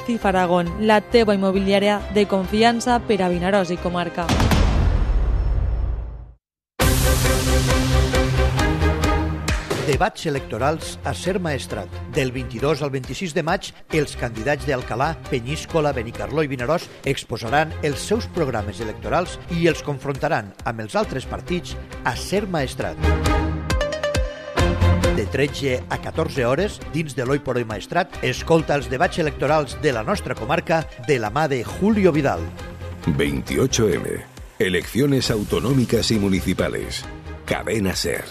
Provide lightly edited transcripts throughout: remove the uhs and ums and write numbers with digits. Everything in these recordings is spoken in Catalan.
CIF Aragón, la teva immobiliària de confiança per a Vinaròs i comarca. Debats electorals a Ser Maestrat. Del 22 al 26 de maig, els candidats d'Alcalà, Penyíscola, Benicarló i Vinaròs exposaran els seus programes electorals i els confrontaran amb els altres partits a Ser Maestrat. De 13 a 14 hores, dins de l'Oi por Hoy Maestrat, escolta els debats electorals de la nostra comarca de la mà de Julio Vidal. 28M. Elecciones autonómicas y municipales. Cadena Ser.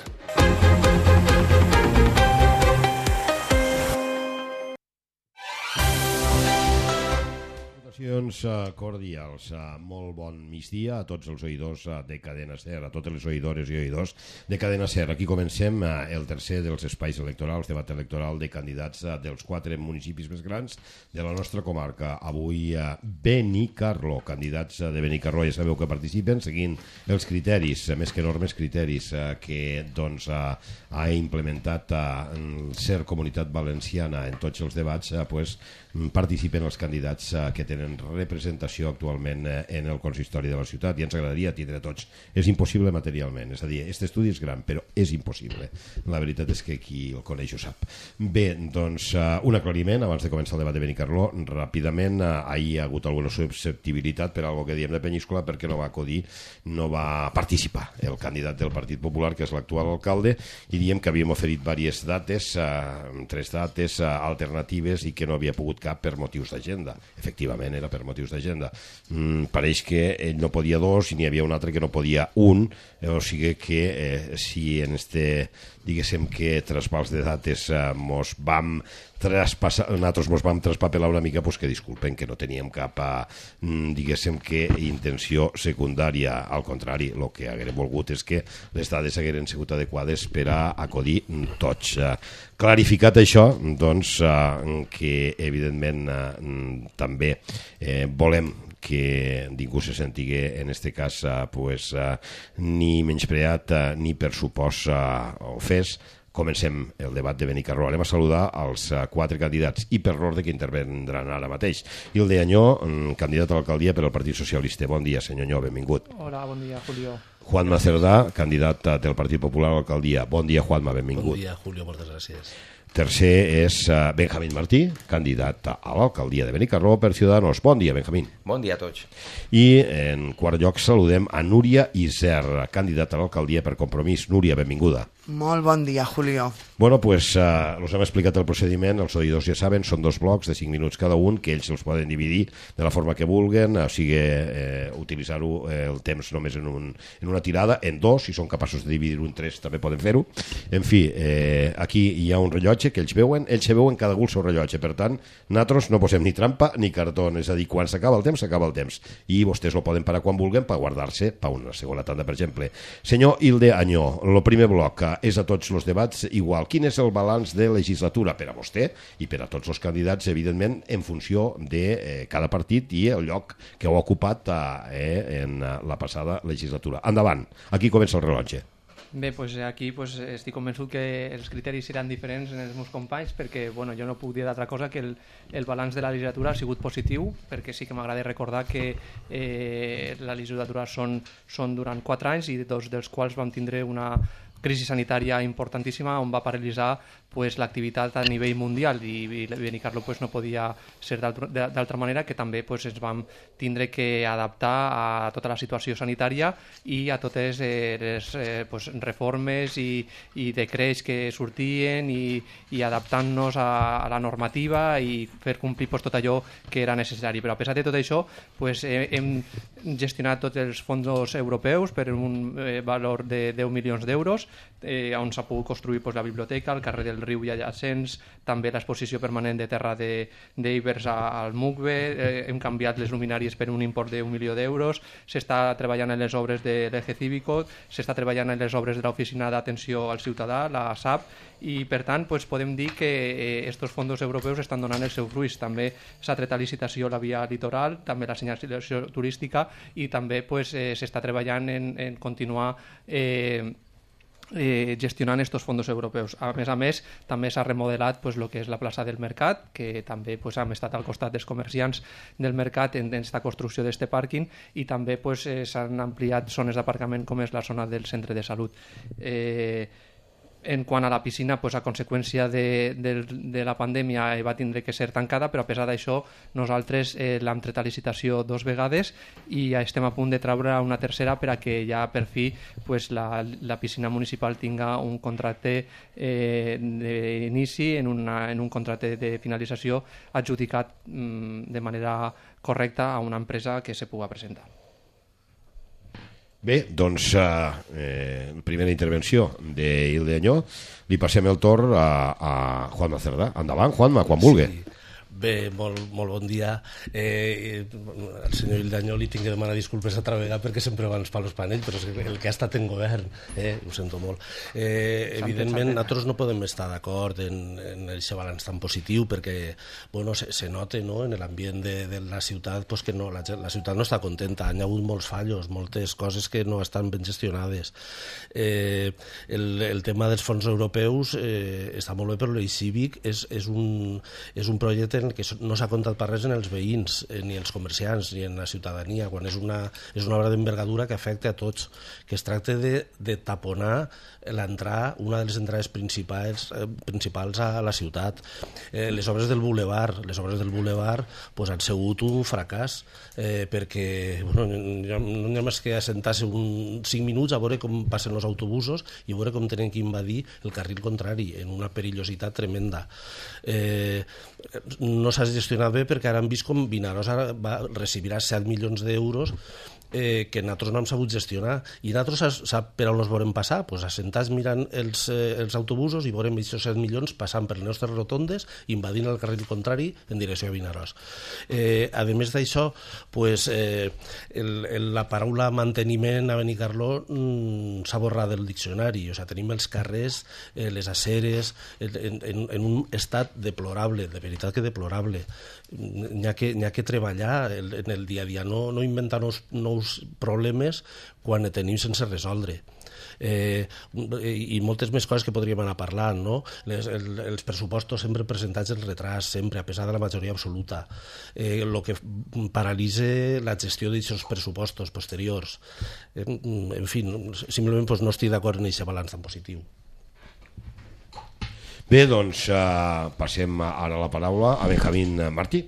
Cordials, molt bon migdia a tots els oïdors de Cadena Ser, a totes les oïdores i oïdors de Cadena Ser. Aquí comencem el tercer dels espais electorals, debat electoral de candidats dels 4 municipis més grans de la nostra comarca. Avui Benicarló, candidats de Benicarló, ja sabeu que participen seguint els criteris, més que enormes criteris que doncs, ha implementat Ser Comunitat Valenciana en tots els debats, participen els candidats que tenen representació actualment en el consistori de la ciutat, i ens agradaria tindre tots. És impossible materialment, és a dir, aquest estudi és gran, però és impossible. La veritat és que qui el coneix ho sap. Bé, doncs, un aclariment abans de començar el debat de Benicarló. Ràpidament, ahir hi ha hagut alguna susceptibilitat per algo que diem de Penyíscola, perquè no va acudir, no va participar el candidat del Partit Popular, que és l'actual alcalde, i diem que havíem oferit diverses dates, 3 dates alternatives, i que no havia pogut cap per motius d'agenda. Efectivament, era per motius d'agenda. Pareix que ell no podia 2 i n'hi havia un altre que no podia 1, o sigui que si en este, diguéssim que traspàs de dates nosaltres mos vam traspapelar una mica, pues que disculpen, que no teníem cap, diguéssim que intenció secundària. Al contrari, el que haguérem volgut és que les dades hagueren sigut adequades per a acudir tots. Clarificat això, doncs, que evidentment també volem que ningú se sentigui en este cas ni menyspreat ni per supòs ofès. Comencem el debat de Benicarló. Anem a saludar els 4 candidats i per l'ordre que intervendran ara mateix. Hilde Añó, candidat a l'alcaldia per al Partit Socialista. Bon dia, senyor Añó, benvingut. Hola, bon dia, Julio. Juanma Cerdà, candidat del Partit Popular a l'alcaldia. Bon dia, Juanma, benvingut. Bon dia, Julio, moltes gràcies. Tercer és Benjamín Martí, candidat a l'alcaldia de Benicarló per Ciudadanos. Bon dia, Benjamín. Bon dia a tots. I en quart lloc saludem a Núria Iser, candidata a l'alcaldia per Compromís. Núria, benvinguda. Molt bon dia, Julio. Bueno, pues us hem explicat el procediment, els oïdors ja saben, són 2 blocs de 5 minuts cada un, que ells els poden dividir de la forma que vulguen, o sigui, utilitzar-ho el temps només en una tirada, en 2, si són capaços de dividir-ho en 3 també poden fer-ho. En fi, aquí hi ha un rellotge que ells veuen cada un el seu rellotge, per tant, nosaltres no posem ni trampa ni cartó, és a dir, quan s'acaba el temps, s'acaba el temps, i vostès ho poden parar quan vulguen per guardar-se per una segona tanda, per exemple. Senyor Hilde Añó, el primer bloc és a tots els debats igual. Quin és el balanç de legislatura per a vostè i per a tots els candidats, evidentment, en funció de cada partit i el lloc que heu ocupat en la passada legislatura? Endavant, aquí comença el rellotge. Bé, doncs aquí estic convençut que els criteris seran diferents en els meus companys, perquè jo no puc dir d'altra cosa que el balanç de la legislatura ha sigut positiu, perquè sí que m'agrada recordar que la legislatura són durant 4 anys i 2 dels quals vam tindre una crisi sanitària importantíssima on va paralitzar l'activitat a nivell mundial, i Benicarló no podia ser d'altra manera, que també ens vam tindre que adaptar a tota la situació sanitària i a totes les reformes i decrets que sortien i adaptant-nos a la normativa i fer complir tot allò que era necessari. Però a pesar de tot això hem gestionat tots els fons europeus per un valor de 10 milions d'euros, on s'ha pogut construir la biblioteca, el carrer del riu i adjacents, també l'exposició permanent de terra d'Ibers al MUCBE, hem canviat les luminàries per un import d'1 milió d'euros, s'està treballant en les obres de l'Eje Cívico, s'està treballant en les obres de l'Oficina d'Atenció al Ciutadà, la SAP, i per tant podem dir que aquests fons europeus estan donant els seus fruits. També s'ha tret a licitació la via litoral, també la senyalització turística, i també s'està treballant en continuar gestionant estos fondos europeus. A més, també s'ha remodelat el que és la plaça del Mercat, que també hem estat al costat dels comerciants del Mercat en aquesta construcció d'aquest pàrquing, i també s'han ampliat zones d'aparcament com és la zona del centre de salut. En quant a la piscina, a conseqüència de la pandèmia va tindre que ser tancada, però a pesar d'això nosaltres l'hem tret a licitació 2 vegades i estem a punt de treure una tercera per a que ja per fi la piscina municipal tinga un contracte d'inici en un contracte de finalització adjudicat de manera correcta a una empresa que se pugui presentar. Bé, doncs, primera intervenció d'Hilde Añó. Li passem el torn a Juanma Cerdà. Endavant, Juanma, quan vulgui. Sí. Bé, molt bon dia. Al senyor Hilde Añó li tinc que demanar disculpes altra vegada perquè sempre va ens fa l'espanell, però és el que ha estat en govern, ho sento molt. Evidentment, nosaltres no podem estar d'acord en aquest balanç tan positiu perquè se nota en l'ambient de la ciutat que la ciutat no està contenta, hi ha hagut molts fallos, moltes coses que no estan ben gestionades. El tema dels fons europeus està molt bé, però l'Eix Cívic és un projecte en què no s'ha comptat per res en els veïns, ni els comerciants, ni en la ciutadania, quan és una obra d'envergadura que afecta a tots, que es tracta de taponar una de les entrades principals a la ciutat. Les obres del boulevard han sigut un fracàs, perquè no hi ha més que assentar-se 5 minuts a veure com passen els autobusos i veure com tenen que invadir el carril contrari, en una perillositat tremenda. No s'ha gestionat bé perquè ara hem vist com Vinaròs recibirà 7 milions d'euros que nosaltres no hem sabut gestionar, i nosaltres sap per on els veurem passar, assentats mirant els autobusos i veurem aquests 7 milions passant per les nostres rotondes, invadint el carril contrari en direcció a Vinaròs. A més d'això, la paraula manteniment a Benicarló s'ha borrat del diccionari, tenim els carrers, les aceres en un estat deplorable, de veritat que deplorable. N'hi ha que treballar en el dia a dia, no inventar nous problemes quan tenim sense resoldre. I moltes més coses que podríem anar parlant, no? Els pressupostos sempre presentats en retras, sempre, a pesar de la majoria absoluta, el que paralitza la gestió d'aquests pressupostos posteriors. En fi, simplement no estic d'acord en aquest balanç tan positiu. Bé, doncs passem ara la paraula a Benjamín Martí.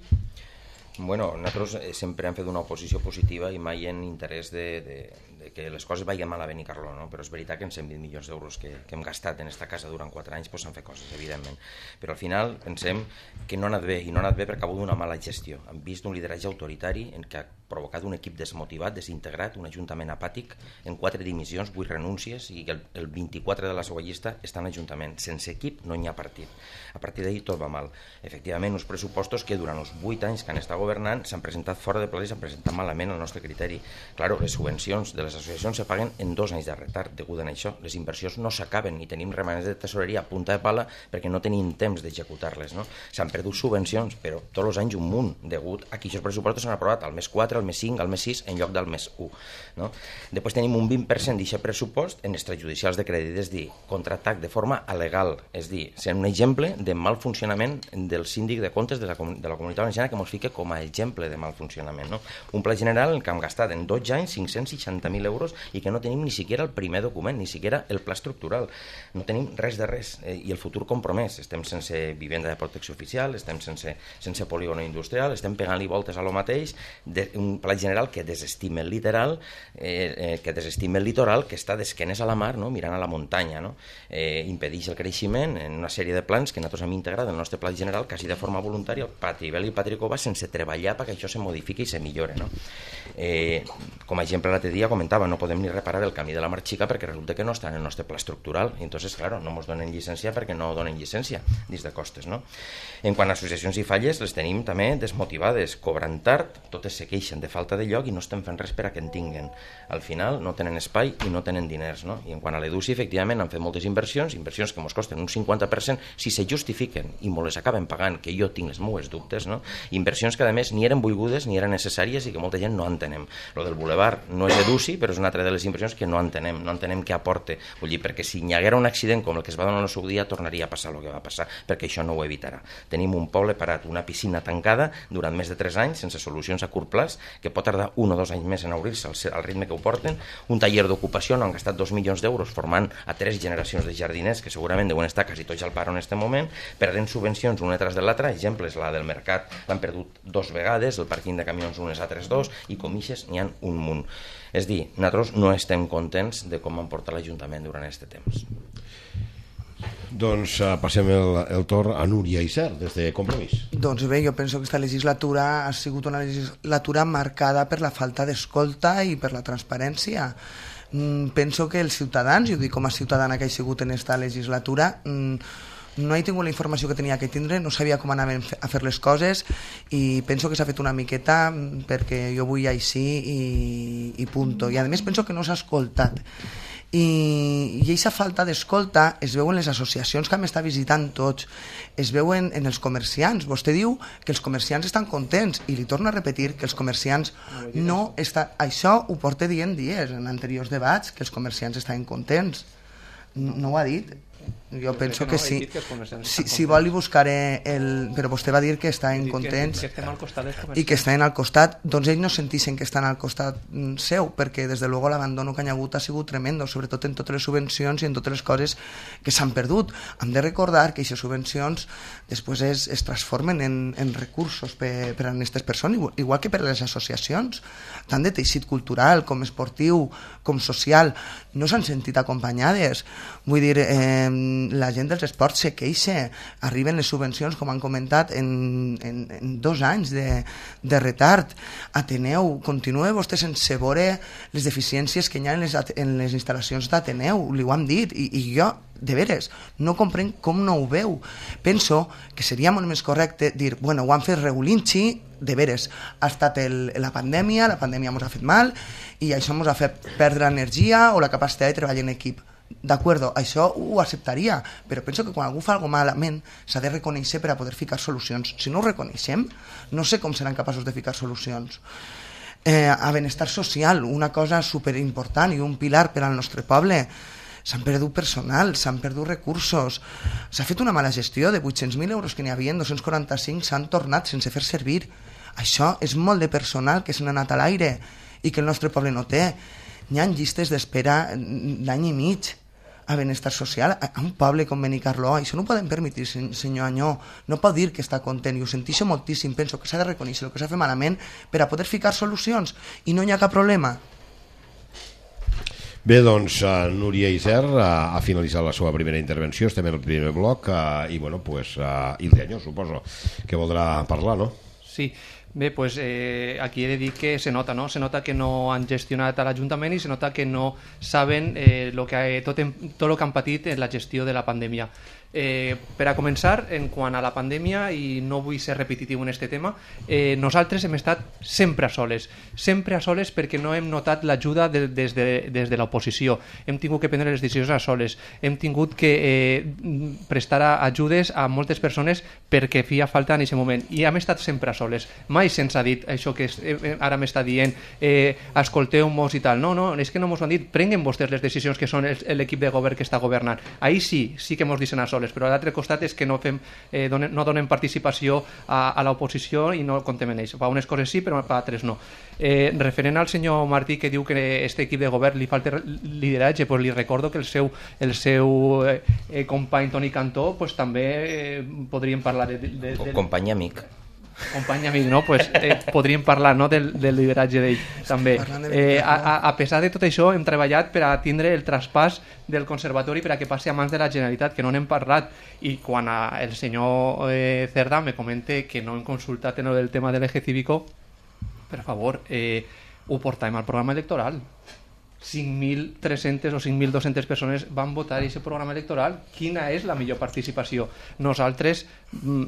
Bueno, nosaltres sempre hem fet una oposició positiva i mai en interès de que les coses vagin mal a Benicarló, no? Però és veritat que en 120 milions d'euros que hem gastat en esta casa durant 4 anys s'han fet coses, evidentment. Però al final pensem que no ha anat bé, i no ha anat bé perquè ha hagut una mala gestió. Hem vist un lideratge autoritari que ha provocat un equip desmotivat, desintegrat, un ajuntament apàtic, en 4 dimissions, 8 renúncies, i el 24 de la seva llista està en l'Ajuntament. Sense equip no hi ha partit. A partir d'ahir tot va mal. Efectivament, uns pressupostos que durant els 8 anys que han estat governant s'han presentat fora de pla i s'han presentat malament al nostre criteri. Claro, les subvencions de les associacions se paguen en 2 anys de retard degut a això. Les inversions no s'acaben i tenim remanents de tesoreria a punta de pala perquè no tenim temps d'executar-les, no? S'han perdut subvencions, però tots els anys un munt degut a que aquests pressupostos s'han aprovat al mes 4, al mes 5, al mes 6 en lloc del mes 1, no? Després tenim un 20% d'aquest pressupost en extrajudicials de crèdit, és dir, contractat de forma alegal, és dir, sent un exemple de mal funcionament del síndic de comptes de la Comunitat Valenciana que ens fica com a exemple de mal funcionament, no? Un pla general en què hem gastat en 12 anys 560.000 euros i que no tenim ni siquiera el primer document, ni siquiera el pla estructural. No tenim res de res. I el futur compromès. Estem sense vivenda de protecció oficial, estem sense polígono industrial, estem pegant-li voltes a lo mateix, un pla general que desestima el litoral, que està d'esquenes a la mar, no? Mirant a la muntanya, no? Impedeix el creixement en una sèrie de plans que nosaltres hem integrat en el nostre pla general quasi de forma voluntària, el Patrivel i el Patricova, sense treballar perquè això se modifiqui i se millore, no? Com a exemple, l'altre dia comentava, no podem ni reparar el camí de la Mar Xica perquè resulta que no està en el nostre pla estructural, i entonces, claro, no ens donen llicència perquè no donen llicència dins de costes, no? En quant a associacions i falles, les tenim també desmotivades, cobran tard, totes se queixen queixen de falta de lloc i no estem fent res per a que en tinguen. Al final no tenen espai i no tenen diners, no? I en quant a l'EDUSI, efectivament, han fet moltes inversions que ens costen un 50% si se justifiquen i me les acaben pagant, que jo tinc les meues dubtes, no? Inversions que a més ni eren volgudes ni eren necessàries i que molta gent no entenem. Lo del Boulevard no és EDUSI, però és una altra de les inversions que no entenem què aporta. Vull dir, perquè si hi haguera un accident com el que es va donar el seu dia, tornaria a passar el que va passar, perquè això no ho evitarà. Tenim un poble parat, una piscina tancada durant més de 3 anys, sense solucions a curt plaç, que pot tardar 1 o 2 anys més en obrir-se al ritme que ho porten. Un taller d'ocupació on han gastat 2 milions d'euros formant a 3 generacions de jardiners que segurament deuen estar quasi tots al paro en aquest moment, perdent subvencions una tras de l'altra. Exemples, la del mercat l'han perdut 2 vegades, el pàrquing de camions unes altres 2, i com ixes n'hi ha un munt. És dir, nosaltres no estem contents de com han portat l'Ajuntament durant aquest temps. Doncs passem el torn a Núria Isern, des de Compromís. Doncs bé, jo penso que aquesta legislatura ha sigut una legislatura marcada per la falta d'escolta i per la transparència. Penso que els ciutadans, i ho dic com a ciutadana que he sigut en aquesta legislatura, no he tingut la informació que tenia que tindre, no sabia com anaven a fer les coses i penso que s'ha fet una miqueta perquè jo vull així i punto. I a més penso que no s'ha escoltat. I aquesta falta d'escolta es veu en les associacions que m'està visitant tots, es veu en els comerciants. Vostè diu que els comerciants estan contents i li torno a repetir que els comerciants no estan... Això ho porta dient dies en anteriors debats, que els comerciants estaven contents. No ho ha dit? Jo penso que sí. Si vol li buscaré però vostè va dir que estaven contents i que estaven al costat. Doncs ells no sentissin que estan al costat seu, perquè des de luego l'abandono que hi ha hagut ha sigut tremendo, sobretot en totes les subvencions i en totes les coses que s'han perdut. Hem de recordar que aquestes subvencions després es transformen en recursos per a aquestes persones, igual que per a les associacions, tant de teixit cultural com esportiu com social, no s'han sentit acompanyades. Vull dir, la gent dels esports se queixa, arriben les subvencions, com han comentat, en 2 anys de retard. Ateneu, continua vostè sense veure les deficiències que hi ha en les instal·lacions d'Ateneu, li ho hem dit, i jo, de veres, no comprenc com no ho veu. Penso que seria molt més correcte dir, bueno, ho han fet regulinxi, de veres, ha estat la pandèmia ens ha fet mal, i això ens ha fet perdre energia o la capacitat de treballar en equip. D'acord, això ho acceptaria, però penso que quan algú fa alguna cosa malament s'ha de reconèixer per a poder ficar solucions. Si no ho reconeixem, no sé com seran capaços de ficar solucions. A benestar social, una cosa superimportant i un pilar per al nostre poble. S'han perdut personal, s'han perdut recursos, s'ha fet una mala gestió de 800.000 euros que n'hi havia, 245 s'han tornat sense fer servir. Això és molt de personal que se n'ha anat a l'aire i que el nostre poble no té. Hi ha llistes d'espera d'any i mig a benestar social. A un poble com Benicarló, això no ho podem permetre, senyor Anyó. No pot dir que està content, i ho senteixo moltíssim. Penso que s'ha de reconèixer el que s'ha fet malament per a poder ficar solucions, i no hi ha cap problema. Bé, doncs, Núria Isern ha finalitzat la seva primera intervenció, estem en el primer bloc, i bueno, pues, Ilse Anyó, suposo que voldrà parlar, no? Sí. Bé, pues, aquí he de dir que se nota, no? Se nota que no han gestionat a l'Ajuntament i se nota que no saben tot el que han patit en la gestió de la pandèmia. Per a començar, en quant a la pandèmia, i no vull ser repetitiu en aquest tema, nosaltres hem estat sempre a soles perquè no hem notat l'ajuda des de l'oposició. Hem tingut que prendre les decisions a soles, hem tingut que prestar ajudes a moltes persones perquè feia falta en aquest moment, i hem estat sempre a soles. Mai se'ns ha dit això que ara m'està dient, escolteu-mos i tal. No, és que no mos ho han dit. Prenguen vostès les decisions que són l'equip de govern que està governant. Ahir sí que mos deixen a soles, però a l'altre costat és que no donem participació a l'oposició i no contem en ells. Per unes coses sí, però per altres no. Referent al senyor Martí, que diu que a aquest equip de govern li falta lideratge, pues li recordo que el seu company Toni Cantó pues també podríem parlar de company amic, no? Pues, podríem parlar, no, del lideratge d'ell també. A pesar de tot això, hem treballat per a tindre el traspàs del conservatori per a que passi a mans de la Generalitat, que no n'hem parlat, i quan el senyor Cerdà me comenta que no hem consultat en el tema de l'eje cívico, per favor, ho portem al programa electoral. 5.300 o 5.200 persones van votar aquest programa electoral. Quina és la millor participació? Nosaltres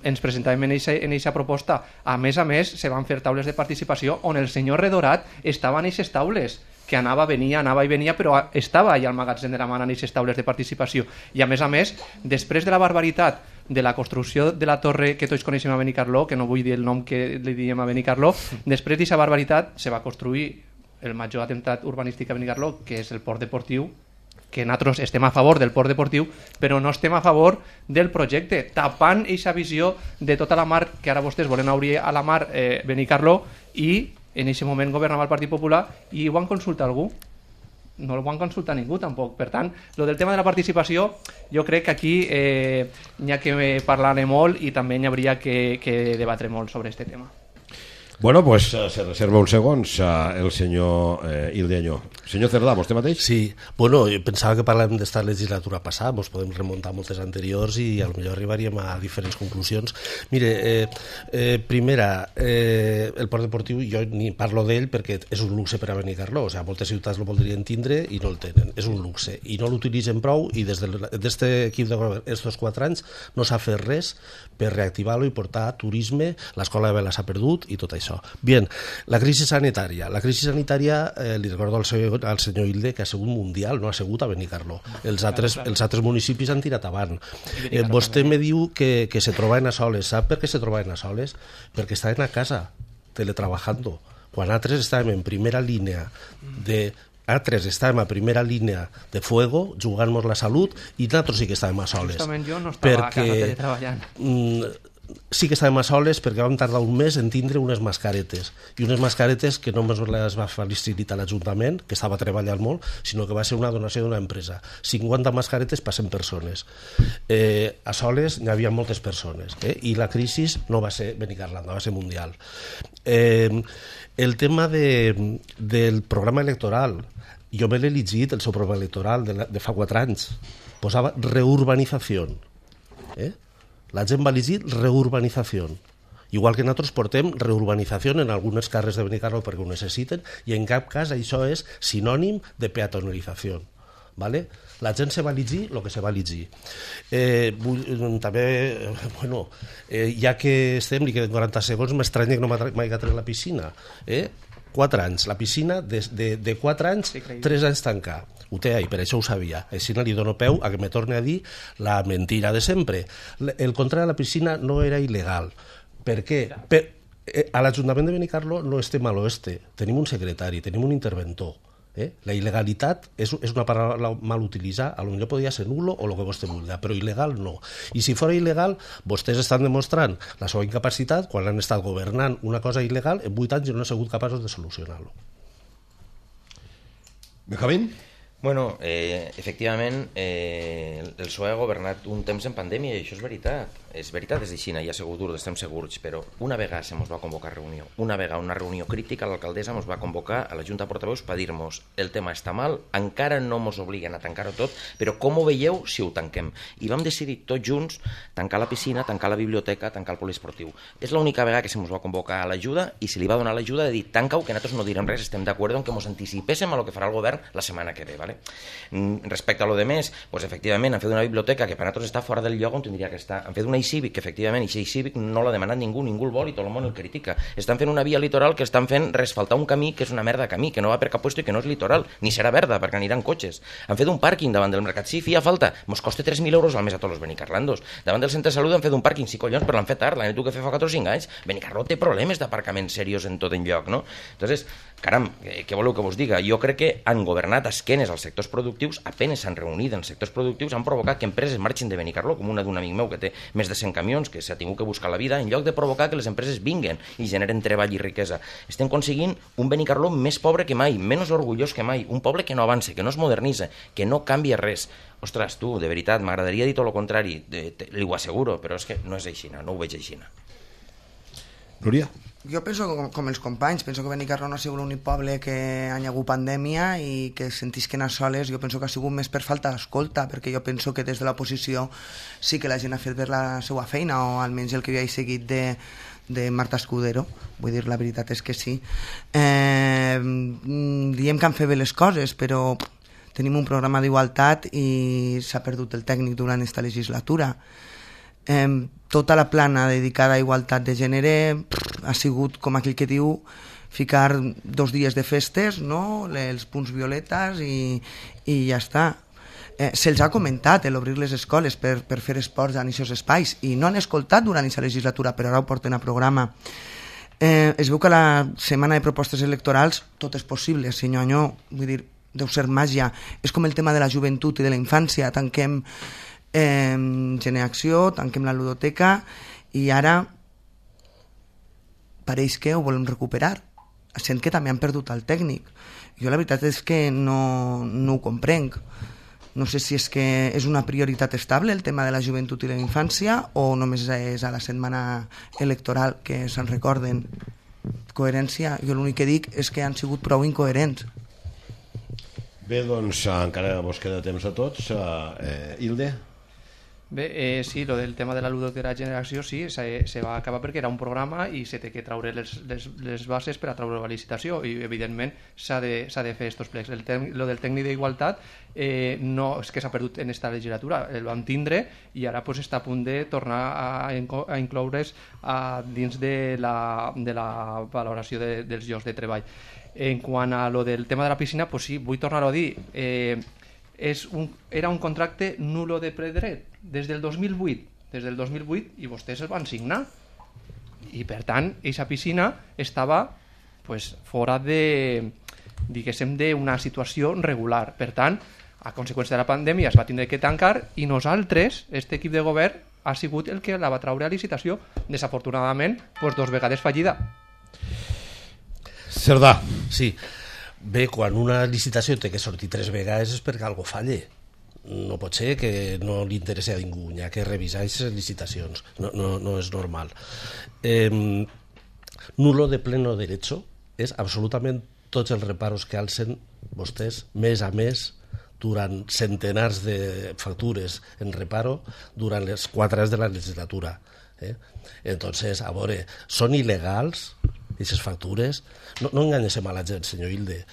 ens presentàvem en aquesta proposta. A més, se van fer taules de participació on el senyor Redorat estava en aquestes taules, que anava i venia, però estava allà al magatzem de la Mana en aquestes taules de participació. I a més, després de la barbaritat de la construcció de la torre que tots coneixem a Benicarló, que no vull dir el nom que li diem a Benicarló, després d'aquesta barbaritat se va construir el major atemptat urbanístic a Benicarló, que és el port deportiu, que nosaltres estem a favor del port deportiu, però no estem a favor del projecte, tapant aquesta visió de tota la mar, que ara vostès volen obrir a la mar Benicarló, i en aquest moment governava el Partit Popular, i ho van consultar algú? No el van consultar ningú tampoc. Per tant, lo del tema de la participació, jo crec que aquí n'hi ha que parlar-ne molt i també n'hi hauria que debatre molt sobre aquest tema. Bueno, pues se reserva uns segons el senyor Ildeño. Senyor Cerdà, vostè mateix? Sí, bueno, jo pensava que parlàvem d'esta legislatura passada, ens podem remuntar a moltes anteriors i potser arribaríem a diferents conclusions. Mire, primera, el port deportiu, jo ni parlo d'ell perquè és un luxe per a Benicarló, o sigui, moltes ciutats el voldrien tindre i no el tenen, és un luxe, i no l'utilitzen prou, i des d'aquest equip de govern, estos 4 anys, no s'ha fet res per reactivar-lo i portar turisme, l'escola de vela s'ha perdut i tot això. Bien, la crisi sanitària, li recordo al senyor Hilde que ha sigut mundial, no ha sigut a Benicarló. Els altres municipis han tirat avant. Vostè me diu que se trobaven a soles. Sap per què se trobaven a soles? Perquè estaven a casa, teletrabajando. Quan altres estàvem en primera línia estàvem a primera línia de fuego, jugant-nos la salut, i nosaltres sí que estàvem a soles. Justament jo no estava a casa teletreballant. Sí que estàvem a soles perquè vam tardar un mes en tindre unes mascaretes, i unes mascaretes que no només les va facilitar l'Ajuntament, que estava treballant molt, sinó que va ser una donació d'una empresa. 50 mascaretes per 100 persones. A soles n'hi havia moltes persones, i la crisi no va ser Benicarló, va ser mundial. El tema del programa electoral, jo me l'he llegit, el seu programa electoral de fa 4 anys, posava reurbanització. La gent va llegir reurbanització. Igual que nosaltres portem reurbanització en algunes carrers de Benicarló perquè ho necessiten, i en cap cas això és sinònim de peatonalització. ¿Vale? La gent se va llegir el que se va llegir. També, bueno, ja que estem, li queden 40 segons, m'estranya que no m'hagi tret la piscina. 4 anys, la piscina de 4 anys, 3 anys tancar. Ho té ahí, per això ho sabia. Així no li dono peu a que me torni a dir la mentira de sempre. El contrari de la piscina no era il·legal. Per què? A l'Ajuntament de Benicarló no estem a l'oeste. Tenim un secretari, tenim un interventor. La il·legalitat és una paraula mal utilitzada, potser podria ser nulo o el que vostè vulgui, però il·legal no. I si fos il·legal, vostès estan demostrant la seva incapacitat quan han estat governant una cosa il·legal en 8 anys i no han sigut capaços de solucionar-lo. Benjamín? Bueno, efectivament, el PSOE ha governat un temps en pandèmia i això és veritat. És veritat, és així, ja ha sigut dur, estem segurs, però una vegada se mos va convocar reunió, una reunió crítica, l'alcaldessa mos va convocar a la Junta de Portaveus per dir-nos el tema està mal, encara no mos obliguen a tancar-ho tot, però com ho veieu si ho tanquem? I vam decidir tots junts tancar la piscina, tancar la biblioteca, tancar el poliesportiu. És l'única vegada que se mos va convocar a l'ajuda i se li va donar l'ajuda de dir tanca-ho, que nosaltres no direm res, estem d'acord en que mos anticipéssim a lo que farà el govern la setmana que ve. ¿Vale? Respecte a lo de més, pues, efectivament han fet una biblioteca que per nosaltres està fora del lloc on tindria que estar, han fet una e-Civic que efectivament e-Civic no l'ha demanat ningú el vol i tot el món el critica, estan fent una via litoral que estan fent resfaltar un camí que és una merda de camí, que no va per cap puesto i que no és litoral, ni serà verda perquè aniran cotxes, han fet un pàrquing davant del mercat, sí, feia falta, mos costa 3.000 euros al mes a tots els benicarlandos, davant del centre de salut han fet un pàrquing, sí collons, però l'han fet tard, l'han fet que fa 4 o 5 anys, Benicarló té problemes d'aparcaments serios en tot enlloc, no? Entonces, caram, què voleu que vos diga? Jo crec que han governat a esquenes als sectors productius, apenes s'han reunit en sectors productius, han provocat que empreses marxin de Benicarló, com una d'un amic meu que té més de 100 camions, que s'ha tingut que buscar la vida, en lloc de provocar que les empreses vinguen i generen treball i riquesa. Estem aconseguint un Benicarló més pobre que mai, menys orgullós que mai, un poble que no avança, que no es modernitza, que no canvia res. Ostres, tu, de veritat, m'agradaria dir tot el contrari, li ho asseguro, però és que no és així, no ho veig així. Núria? Jo penso com els companys, penso que Benicarló no ha sigut l'únic poble que ha hagut pandèmia i que sentisquen a soles, jo penso que ha sigut més per falta d'escolta, perquè jo penso que des de l'oposició sí que la gent ha fet bé la seva feina, o almenys el que havia seguit de Marta Escudero, vull dir, la veritat és que sí. Diem que han fet bé les coses, però tenim un programa d'igualtat i s'ha perdut el tècnic durant aquesta legislatura. Tota la plana dedicada a igualtat de gènere ha sigut, com aquell que diu, ficar 2 dies de festes, no? Els punts violetes i ja està. Se'ls ha comentat l'obrir les escoles per fer esports en aquests espais i no han escoltat durant aquesta legislatura, però ara ho porten a programa. Es veu que a la setmana de propostes electorals tot és possible, senyor Anyó, vull dir, deu ser màgia. És com el tema de la joventut i de la infància, tanquem Geneacció, tanquem la ludoteca i ara pareix que ho volem recuperar, sent que també han perdut el tècnic. Jo la veritat és que no ho comprenc. No sé si és que és una prioritat estable el tema de la joventut i la infància o només és a la setmana electoral que se'n recorden. Coherència, jo l'únic que dic és que han sigut prou incoherents. Bé, doncs encara vos queda temps a tots. Hilde? Bé, sí, lo del tema de la ludoteca generació sí, se va acabar perquè era un programa i se té que traure les bases per a traure la licitació i evidentment s'ha de fer estos plecs. Lo del tècnic d'igualtat no és que s'ha perdut en esta legislatura, el vam tindre i ara pues, està a punt de tornar a incloure's dins de la valoració dels llocs de treball. En quant a lo del tema de la piscina, pues sí, vull tornar-ho a dir, era un contracte nulo de predret des del 2008 i vostès el van signar i per tant aquesta piscina estava pues, fora de, diguéssim, d'una situació regular. Per tant, a conseqüència de la pandèmia es va tindre que tancar i nosaltres, este equip de govern, ha sigut el que la va traure a licitació, desafortunadament pues, 2 vegades fallida. Cerdà. Sí. Bé, quan una licitació té que sortir 3 vegades és perquè algo falle. No pot ser que no li interessi a ningú, hi ha que revisar aquestes licitacions. No és normal. Nulo de pleno derecho és absolutament tots els reparos que alcen vostès mes a mes durant centenars de factures en reparo durant les 4 anys de la legislatura. Entonces, a veure, són il·legals aquestes factures? No enganyem a la gent, senyor Hilde,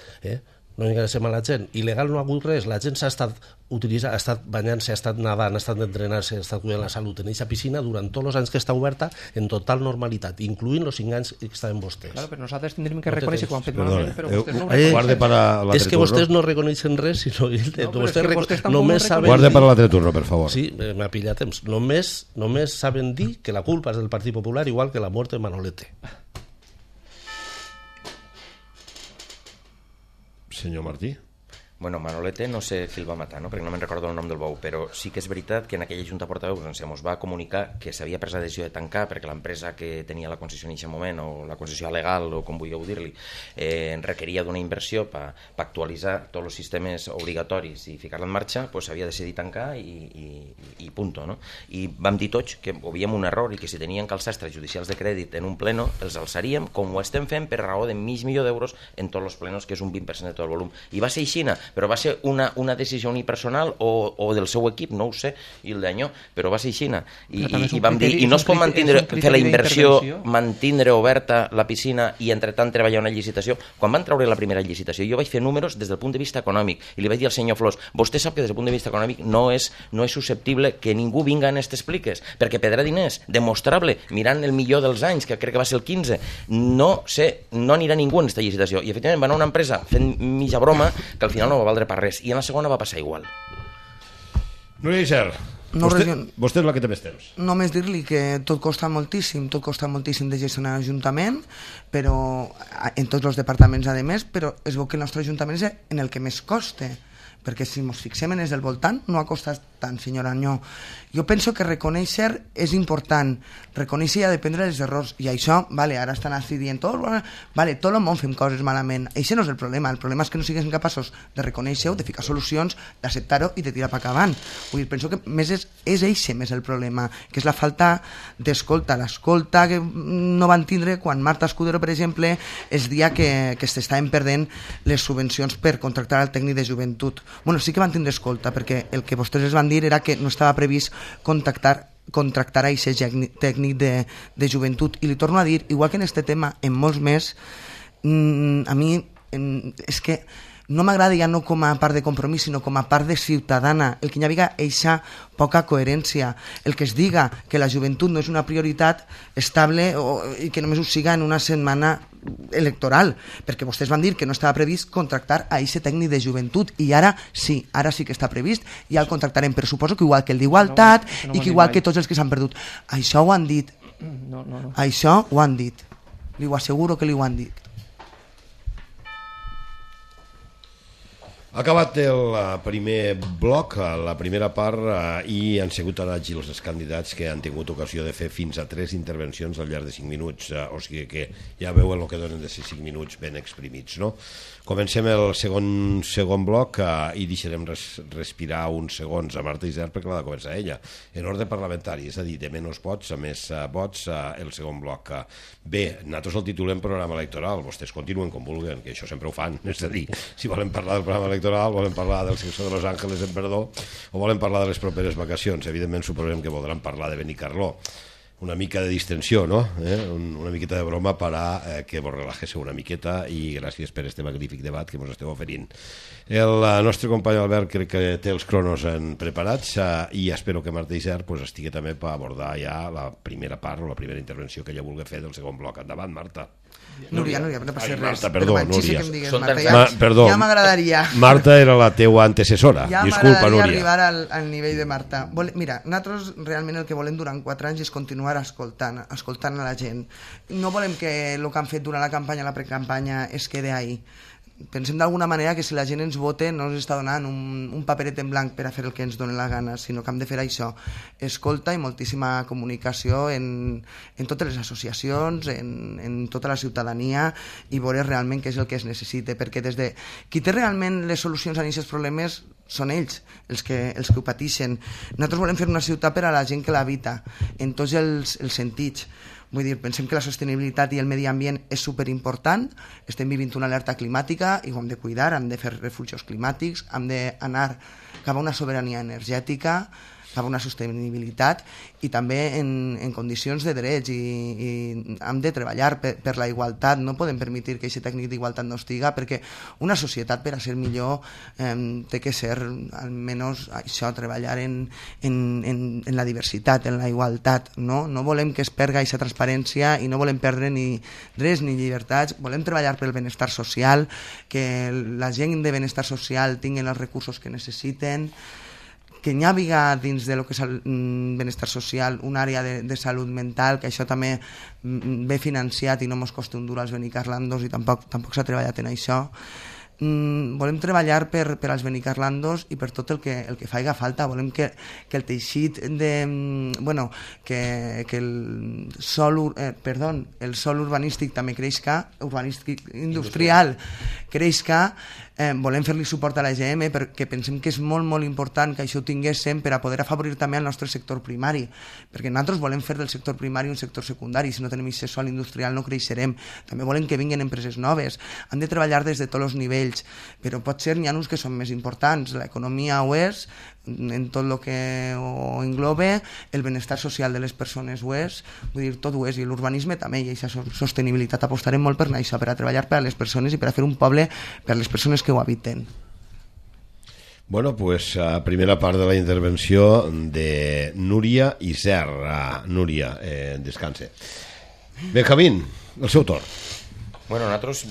no enganyem a la gent. Il·legal no ha hagut res, la gent s'ha estat utilitzant, ha estat banyant-se, ha estat nedant, ha estat entrenant-se, ha estat cuidant la salut en aquesta piscina durant tots els anys que està oberta en total normalitat, incloent els 5 anys que estaven vostès. Claro, però nosaltres tindrem que reconèixer que ho han fet malament, però vostès no ho reconeixen. És que vostès no reconeixen res, sinó vostès només saben... Guarda per l'altre turno, per favor. Sí, m'ha pillat temps. Només saben dir que la culpa és del Partit Popular, igual que la mort de Manolete. Senyor Martí. Bueno, Manolete no sé qui el va matar, no? Perquè no me'n recordo el nom del bou, però sí que és veritat que en aquella junta portaveus ens va comunicar que s'havia pres la decisió de tancar perquè l'empresa que tenia la concessió en aquest moment, o la concessió legal, o com vulgueu dir-li, requeria d'una inversió per actualitzar tots els sistemes obligatoris i ficar-la en marxa, doncs s'havia decidit tancar i punto, no? I vam dir tots que havíem un error i que si tenien que alçar extrajudicials de crèdit en un pleno, els alçaríem com ho estem fent per raó de $500,000 en tots els plenos, que és un 20% de tot el volum. I va ser aixina, però va ser una decisió unipersonal o del seu equip, no ho sé, i el d'anyó, però va ser aixina. I vam dir, i no es pot fer la inversió, mantindre oberta la piscina i entretant treballar una licitació. Quan van treure la primera licitació, jo vaig fer números des del punt de vista econòmic i li vaig dir al senyor Flors, vostè sap que des del punt de vista econòmic no és susceptible que ningú vinga en aquestes pliques, perquè perdrà diners, demostrable, mirant el millor dels anys, que crec que va ser el 15, no anirà ningú en aquesta licitació. I efectivament va anar una empresa fent mitja broma que al final no va valdre per res, i en la segona va passar igual. Núria Isern, vostè és la que té més temps. Només dir-li que tot costa moltíssim de gestionar l'Ajuntament, però en tots els departaments a més, però es veu que el nostre Ajuntament és en el que més costa, perquè si ens fixem en els del voltant no ha costat tant, senyora Anyó. Jo penso que reconèixer és important, reconèixer i aprendre els errors, i això, ara estan així dient tot el món fem coses malament. Això no és el problema és que no siguem capaços de reconèixer-ho, de ficar solucions, d'acceptar-ho i de tirar per avant. Penso que més és eixe més el problema, que és la falta d'escolta, l'escolta que no van tindre quan Marta Escudero, per exemple, es dia que s'estaven perdent les subvencions per contractar el tècnic de joventut. Sí que van tindre escolta, perquè el que vostès es van dir era que no estava previst contractar a aquest tècnic de joventut. I li torno a dir, igual que en aquest tema, en molts més, A mi és que no m'agrada ja no com a part de compromís, sinó com a part de ciutadana, el que hi hagi eixa poca coherència, el que es diga que la joventut no és una prioritat estable i que només ho siga en una setmana electoral, perquè vostès van dir que no estava previst contractar a aquest tècnic de joventut i ara sí que està previst i ja el contractarem, però suposo que igual que el d'Igualtat i que igual que tots els que s'han perdut. Això ho han dit. Això ho han dit. Li ho asseguro que li ho han dit. Ha acabat el primer bloc, la primera part, i han sigut tan àgils els candidats que han tingut ocasió de fer fins a 3 intervencions al llarg de 5 minuts, o sigui que ja veuen el que donen de ser 5 minuts ben exprimits, no? Comencem el segon bloc i deixarem respirar uns segons a Marta Isern perquè l'ha de començar ella, en ordre parlamentari, és a dir, de menys vots a més vots el segon bloc. Bé, nosaltres el titulem programa electoral, vostès continuen com vulguen, que això sempre ho fan, és a dir, si volen parlar del programa electoral, volen parlar del sector de Los Ángeles en perdó, o volen parlar de les properes vacacions, evidentment suposem que voldran parlar de Benicarló. Una mica de distensió, ¿no? Una miqueta de broma para que vos relajéssiu una miqueta i gràcies per este magnífic debat que ens esteu oferint. El nostre company Albert crec que té els cronos preparats i espero que Marta Isern estigui també per abordar ja la primera part o la primera intervenció que ella vulgui fer del segon bloc. Endavant, Marta. Núria, no passa res. Marta, perdó, Núria. Marta, ja m'agradaria. Marta era la teua antecessora. Disculpa, Núria. Arribar al nivell de Marta. Mira, nosaltres realment el que volem durant 4 anys és continuar escoltant a la gent. No volem que el que han fet durant la campanya, la precampanya, es quede ahí. Pensem d'alguna manera que si la gent ens vota no ens està donant un paperet en blanc per a fer el que ens doni la gana, sinó que hem de fer això, escolta i moltíssima comunicació en totes les associacions, en tota la ciutadania i veure realment què és el que es necessita, perquè des de qui té realment les solucions a aquests problemes són ells, els que ho pateixen. Nosaltres volem fer una ciutat per a la gent que l'habita, en tots els sentits. Vull dir, pensem que la sostenibilitat i el medi ambient és superimportant, estem vivint una alerta climàtica i ho hem de cuidar, hem de fer refugis climàtics, hem d'anar cap a una sobirania energètica, cap a una sostenibilitat i també en condicions de drets i hem de treballar per la igualtat. No podem permetre que aquest tècnic d'igualtat no estiga, perquè una societat per a ser millor té que ser almenys això, treballar en la diversitat, en la igualtat, no volem que es perga aquesta transparència i no volem perdre ni res ni llibertats, volem treballar pel benestar social, que la gent de benestar social tinguin els recursos que necessiten, que n'hi hagi dins de lo que és el benestar social una àrea de salut mental, que això també ve financiat i no mos costa un duro als benicarlandos i tampoc s'ha treballat en això. Volem treballar per als benicarlandos i per tot el que faiga falta. Volem que el teixit que el sòl urbanístic també creixca, urbanístic industrial creixca. Volem fer-li suport a la EGM perquè pensem que és molt, molt important que això ho tinguéssim per a poder afavorir també el nostre sector primari, perquè nosaltres volem fer del sector primari un sector secundari. Si no tenim aquest sòl industrial no creixerem. També volem que vinguin empreses noves. Han de treballar des de tots els nivells, però potser n'hi ha uns que són més importants. L'economia ho és, en tot el que ho engloba, el benestar social de les persones ho és, vull dir, tot ho és, i l'urbanisme també, i aquesta sostenibilitat apostarem molt per això, per a treballar per a les persones i per a fer un poble per a les persones que ho habiten. Bueno, pues primera part de la intervenció de Núria Isern. Núria, descanse. Benjamín, el seu torn. Bueno, nosaltres...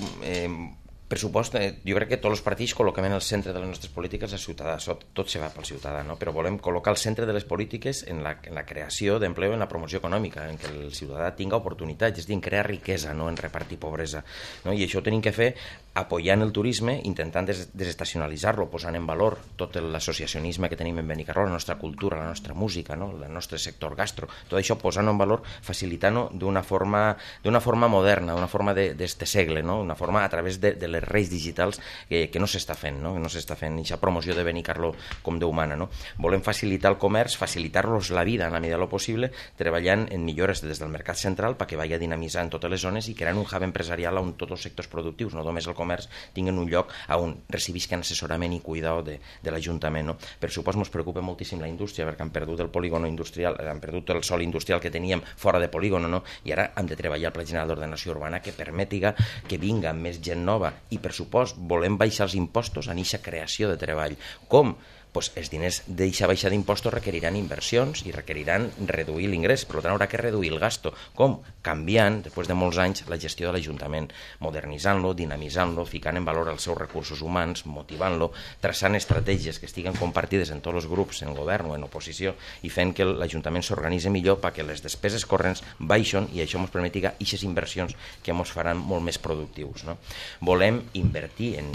pressupost, jo crec que tots els partits col·loquem en el centre de les nostres polítiques el ciutadà, tot se va pel ciutadà, no? Però volem col·locar al centre de les polítiques en la creació d'empleo, en la promoció econòmica, en que el ciutadà tinga oportunitats, és a dir, en crear riquesa, no en repartir pobresa, no? I això ho tenim que fer apoyant el turisme, intentant desestacionalitzar-lo, posant en valor tot l'associacionisme que tenim en Benicarló, la nostra cultura, la nostra música, no? El nostre sector gastro, tot això posant-ho en valor, facilitant-ho d'una forma moderna, d'una forma d'este segle, no? Una forma a través de les reis digitals que no s'està fent, no? No s'està fent aquesta promoció de Benicarló com Déu mana, no? Volem facilitar el comerç, facilitar-los la vida en la medida del possible, treballant en millores des del mercat central perquè vagi dinamitzant totes les zones i creant un hub empresarial on tots els sectors productius, no només el comerç, comerç tinguin un lloc on recibisquen assessorament i cuidado de l'Ajuntament. Per supost, ens preocupa moltíssim la indústria, perquè han perdut el polígono industrial, han perdut el sòl industrial que teníem fora de polígono, i ara hem de treballar el Pla General d'Ordenació Urbana que permetiga que vinga més gent nova, i per supost volem baixar els impostos en aquesta creació de treball. Com? Pues els diners d'aquesta baixa d'impostos requeriran inversions i requeriran reduir l'ingrés, per tant haurà que reduir el gasto. Com? Canviant, després de molts anys, la gestió de l'Ajuntament, modernitzant-lo, dinamitzant-lo, ficant en valor els seus recursos humans, motivant-lo, traçant estratègies que estiguen compartides en tots els grups, en govern o en oposició, i fent que l'Ajuntament s'organitzi millor perquè les despeses corrents baixen i això ens permetiga aquestes inversions que ens faran molt més productius. Volem invertir en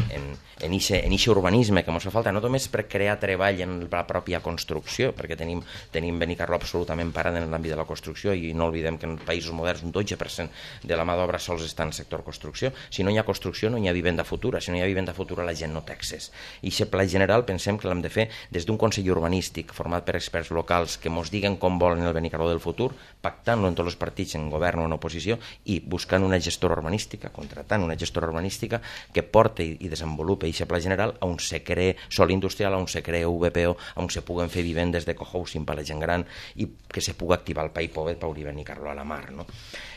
aquest urbanisme que ens fa falta, no només per crear treball en la pròpia construcció, perquè tenim Benicarló absolutament parat en l'àmbit de la construcció, i no oblidem que en països moderns un 12% de la mà d'obra sols està en el sector construcció. Si no hi ha construcció no hi ha vivenda futura, si no hi ha vivenda futura la gent no té accés. I aquest pla general pensem que l'hem de fer des d'un consell urbanístic format per experts locals que ens diguen com volen el Benicarló del futur, pactant-lo en tots els partits, en govern o en oposició, i buscant una gestora urbanística, contratant una gestora urbanística que porti i desenvolupi aquest pla general on se cree sòl industrial, on se cree VPO, on se puguen fer vivendes de cohousing per a la gent gran i que se pugui activar el Pay Povet per obrir Benicarló a la mar.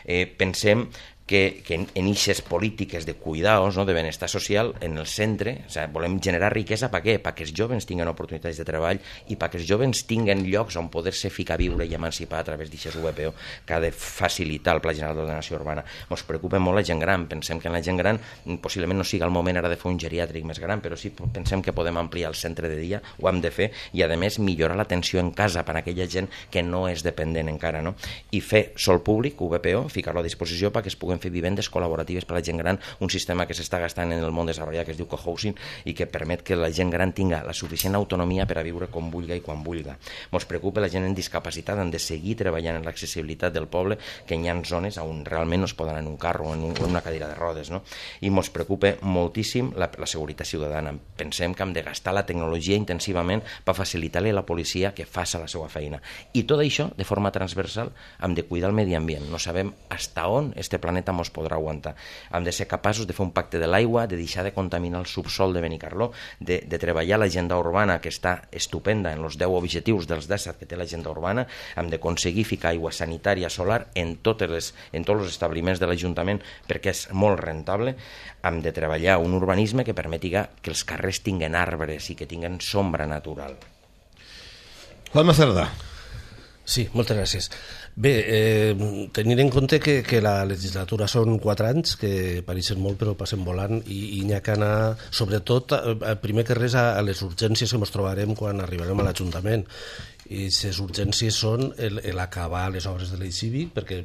Pensem que en aquestes polítiques de cuidados, de benestar social, en el centre, volem generar riquesa per què? Perquè els joves tinguin oportunitats de treball i perquè els joves tinguin llocs on poder-se ficar a viure i emancipar a través d'aquest VPO que ha de facilitar el Pla General d'Ordenació Urbana. Ens preocupa molt la gent gran, pensem que en la gent gran possiblement no sigui el moment ara de fer un geriàtric més gran, però sí pensem que podem ampliar el centre de dia, ho hem de fer, i a més millorar l'atenció en casa per a aquella gent que no és dependent encara, i fer sòl públic, VPO, ficar-lo a disposició perquè es puguin fer vivendes col·laboratives per a la gent gran, un sistema que s'està gastant en el món desarrollat que es diu cohousing i que permet que la gent gran tinga la suficient autonomia per a viure com vulga i quan vulga. Ens preocupa la gent en discapacitat, han de seguir treballant en l'accessibilitat del poble, que hi ha zones on realment no es poden anar en un carro o en una cadira de rodes, i ens preocupa moltíssim la seguretat ciutadana. Pensem que hem de gastar la tecnologia intensivament per facilitar-li a la policia que faci la seva feina. I tot això, de forma transversal, hem de cuidar el medi ambient. No sabem fins on este planeta ens podrà aguantar. Hem de ser capaços de fer un pacte de l'aigua, de deixar de contaminar el subsol de Benicarló, de treballar l'agenda urbana, que està estupenda en els 10 objectius dels 17 que té l'agenda urbana. Hem d'aconseguir ficar aigua sanitària solar en tots els establiments de l'Ajuntament perquè és molt rentable. Hem de treballar un urbanisme que permetiga que els carrers tinguen arbres i que tinguen sombra natural. Juanma Cerdà. Sí, moltes gràcies. Bé, tenint en compte que la legislatura són 4 anys, que pareixen molt però passen volant, i n'hi ha que anar, sobretot, primer que res, a les urgències que ens trobarem quan arribarem a l'Ajuntament. I les urgències són l'acabar les obres de l'eix cívic, perquè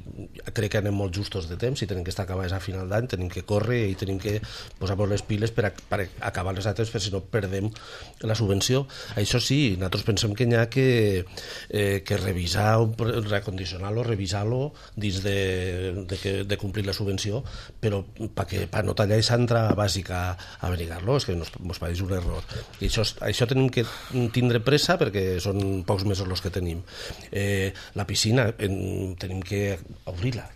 crec que anem molt justos de temps i tenim que estar acabades a final d'any, tenim que córrer i tenim que posar-nos les piles per acabar les altres, perquè si no perdem la subvenció. Això sí, nosaltres pensem que n'hi ha que revisar, recondicionar-lo, revisar-lo dins de complir la subvenció, però per no tallar aquesta entra bàsica a Benicarló, és que ens pareix un error. I això tenim que tindre pressa perquè són pocs mesos els que tenim. La piscina tenim que obrir-la,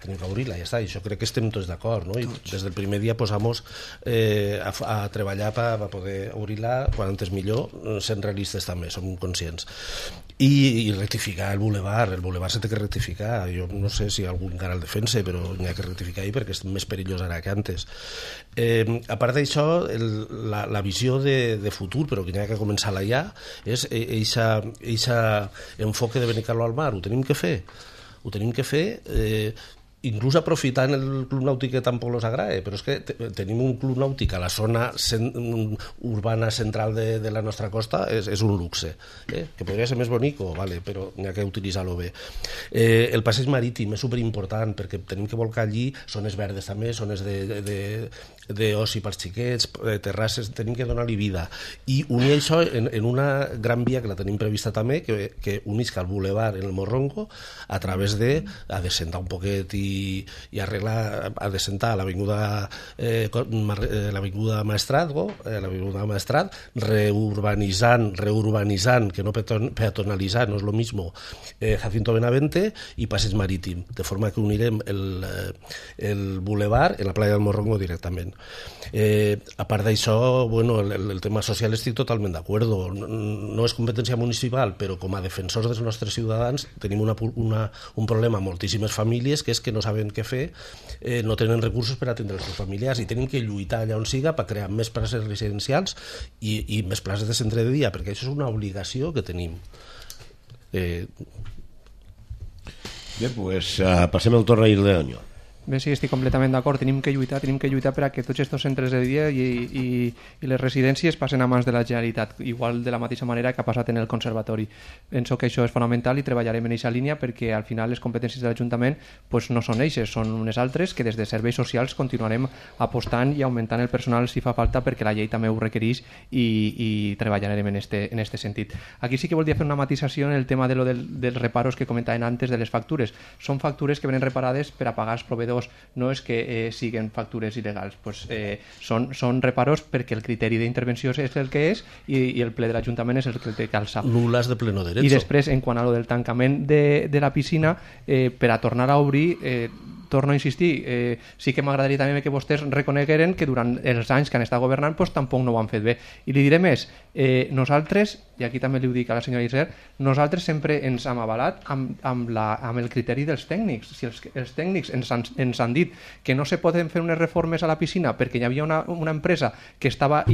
ja està, i això crec que estem tots d'acord, no? I des del primer dia posamos a treballar per poder obrir-la quan antes millor, sent realistes també, som conscients. I rectificar el boulevard s'ha de rectificar, jo no sé si algú encara el defensa, però n'hi ha que rectificar per perquè és més perillós ara que antes. A part d'això, la visió de futur, però que n'hi ha que començar-la ja, és eixa enfoque de Benicarló al mar. Ho tenim que fer inclús aprofitant el club nàutic que tampoc els agrada, però és que tenim un club nàutic a la zona urbana central de la nostra costa, és un luxe, que podria ser més bonic, però n'hi ha que utilitzar-lo bé. El passeig marítim és superimportant perquè tenim que volcar allí zones verdes també, zones d'oci per xiquets, terrasses, tenim que donar-li vida i unir això en una gran via que la tenim prevista també, que unisca el boulevard en el Morrongo a través de descendar un poquet i i arreglar, adecentar l'avinguda Maestrat, reurbanitzant, que no peatonalitzant, no és lo mismo, Jacinto Benavente i Passeig Marítim, de forma que unirem el bulevar en la playa del Morrongo directament. A part d'això, bueno, el tema social estic totalment d'acord. No és competència municipal, però com a defensors dels nostres ciutadans tenim un problema amb moltíssimes famílies, que és que no saben què fer, no tenen recursos per atendre els seus familiars i tenim que lluitar allà on siga per crear més places residencials i més places de centre de dia, perquè això és una obligació que tenim. Bé, doncs passem el torn a Irdeño. Bé, sí, estic completament d'acord. Tenim que lluitar per a que tots aquests centres de dia i les residències passen a mans de la Generalitat, igual de la mateixa manera que ha passat en el conservatori. Penso que això és fonamental i treballarem en aquesta línia perquè al final les competències de l'Ajuntament no són eixes, són unes altres que des de serveis socials continuarem apostant i augmentant el personal si fa falta, perquè la llei també ho requereix i treballarem en este sentit. Aquí sí que voldria fer una matisació en el tema dels reparos que comentaven antes de les factures. Són factures que venen reparades per a pagar els proveïdors, no és que siguin factures il·legals, són reparos perquè el criteri d'intervenció és el que és i el ple de l'Ajuntament és el que el té que alçar. Nulas de pleno derecho. I després, en quant a lo del tancament de la piscina, per a tornar a obrir, torno a insistir, sí que m'agradaria també que vostès reconegueren que durant els anys que han estat governant tampoc no ho han fet bé. I li diré més, nosaltres, i aquí també li ho dic a la senyora Isser, nosaltres sempre ens hem avalat amb el criteri dels tècnics. Si els tècnics ens han dit que no se poden fer unes reformes a la piscina perquè hi havia una empresa que estava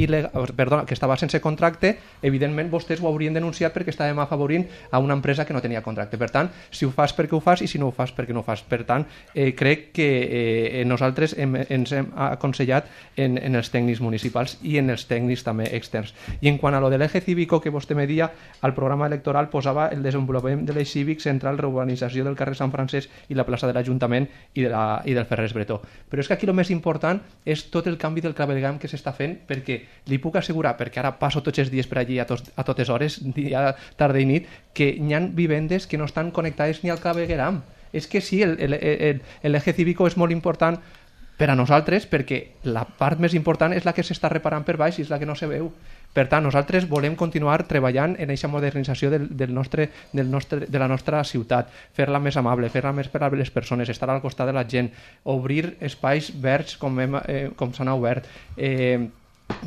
sense contracte, evidentment vostès ho haurien denunciat perquè estàvem afavorint a una empresa que no tenia contracte. Per tant, si ho fas perquè ho fas i si no ho fas perquè no ho fas. Per tant, crec que nosaltres ens hem aconsellat en els tècnics municipals i en els tècnics també externs. I en quant a lo de l'eje cívico que vostè me dia, al programa electoral posava el desenvolupament de l'eix cívic central, reurbanització del carrer Sant Francesc i la plaça de l'Ajuntament i del Ferrers Bretó. Però és que aquí el més important és tot el canvi del clavegueram que s'està fent, perquè li puc assegurar, perquè ara passo tots els dies per allí a totes hores, dia, tarda i nit, que hi ha vivendes que no estan connectades ni al clavegueram. És que sí, l'eje cívico és molt important per a nosaltres perquè la part més important és la que s'està reparant per baix i és la que no se veu. Per tant, nosaltres volem continuar treballant en aquesta modernització de la nostra ciutat, fer-la més amable, fer-la més per a les persones, estar al costat de la gent, obrir espais verds com s'han obert,